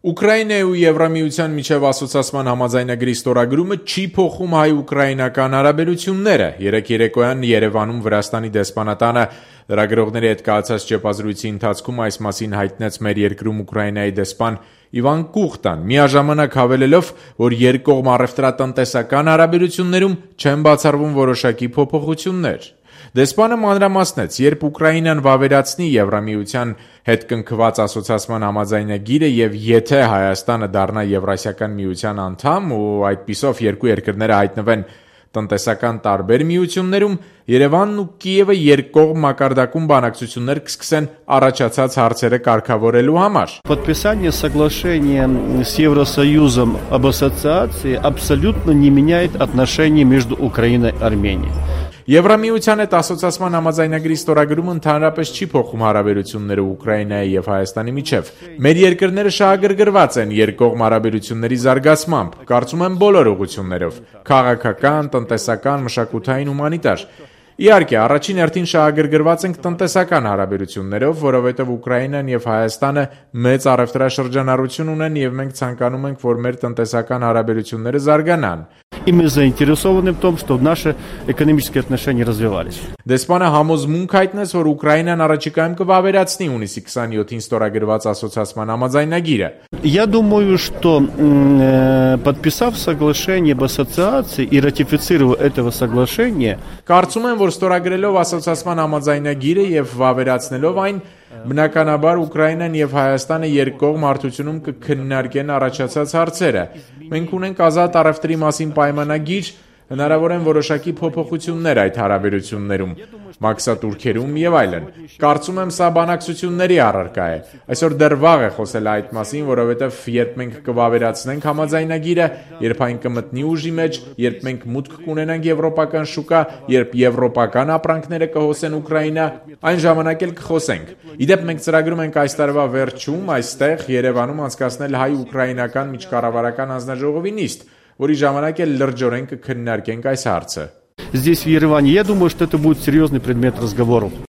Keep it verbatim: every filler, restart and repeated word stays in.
Ուկրաինայի ու Եվրամիության միջև ասոցիացման համաձայնագրի ստորագրումը չի փոխում հայ-ուկրաինական հարաբերությունները։ Երեկ երեկոյան Երևանում Վրաստանի դեսպանատանը լրագրողների հետ կայացած ճեպազրույցի ընթացքում այս մասին հայտնեց մեր երկրում Ուկրաինայի դեսպան Իվան Կուխտան, միաժամանակ հավելելով, որ երկկողմ առևտրատնտեսական հարաբերություններում չեն բացառվում որոշակի փոփոխություններ։ Դեսպանը մանրամասնեց, երբ Ուկրաինան վավերացնի Եվրամիության հետ կնքված ասոցիացման համաձայնագիրը եւ եթե Հայաստանը դառնա Եվրասիական միության անդամ ու այդպիսով երկու երկրները հայտնվեն տնտեսական տարբեր միություններում, Երևանն ու Կիևը երկկողմ մակարդակում բանակցություններ կսկսեն առաջացած հարցերը կարգավորելու համար։ Подписание соглашения с Евросоюзом об ассоциации абсолютно не меняет отношения между Украиной и Арменией. Եվրամիության հետ ասոցիացման համաձայնագրի ստորագրումը ընդհանրապես չի փոխում հարաբերությունները Ուկրաինայի եւ Հայաստանի միջև։ Մեր երկրները շահագրգռված են երկկողմ հարաբերությունների զարգացմամբ, կարծում եմ բոլոր ուղղություններով՝ քաղաքական, տնտեսական, մշակութային, հումանիտար։ Իհարկե, առաջին հերթին շահագրգռված ենք տնտեսական հարաբերություններով, որովհետև Ուկրաինան եւ Հայաստանը մեծ առևտրաշրջանառություն ունեն եւ մենք ցանկանում ենք, որ մեր տնտեսական հարաբերությունները զարգանան։ И мы заинтересованы в том, чтобы наши экономические отношения развивались. Դեսպանը համոզմունք հայտնեց, որ Ուկրաինան առաջիկայում կվավերացնի հունիսի քսաներկուին ստորագրված ասոցիացման համաձայնագիրը։ Я думаю, что э, подписав соглашение об ассоциации и ратифицировав этого соглашения, Կարծում եմ, որ ստորագրելով ասոցիացման համաձայնագիրը եւ վավերացնելով այն, բնականաբար Ուկրաինան եւ Հայաստանը երկկողմ հարթությունում կքննարկեն առաջացած հարցերը։ Մենք ունենք ազատ առևտրի մասին պայմանագիր, հնարավոր են որոշակի փոփոխություններ այդ հարաբերություններում, մաքսատուրքերում եւ այլն։ Կարծում եմ, սա բանակցությունների առարկա է։ Այսօր դեռ վաղ է խոսել այդ մասին, որովհետեւ երբ մենք կվավերացնենք համաձայնագիրը, երբ այն կմտնի ուժի մեջ, երբ մենք մուտք կունենանք եվրոպական շուկա, երբ եվրոպական ապրանքները կհոսեն Ուկրաինա, այն ժամանակ էլ կխոսենք։ Իդեպ մենք ծրագրում ենք այս տարվա վերջում այստեղ Երևանում անցկացնել հայ-ուկրաինական միջկառավարական հանձնաժողովի նիստ, որի ժամանակ էլ լրջորեն կքննարկենք այս հարցը։ здесь в Ереване, я думаю, что это будет серьезный предмет разговоров.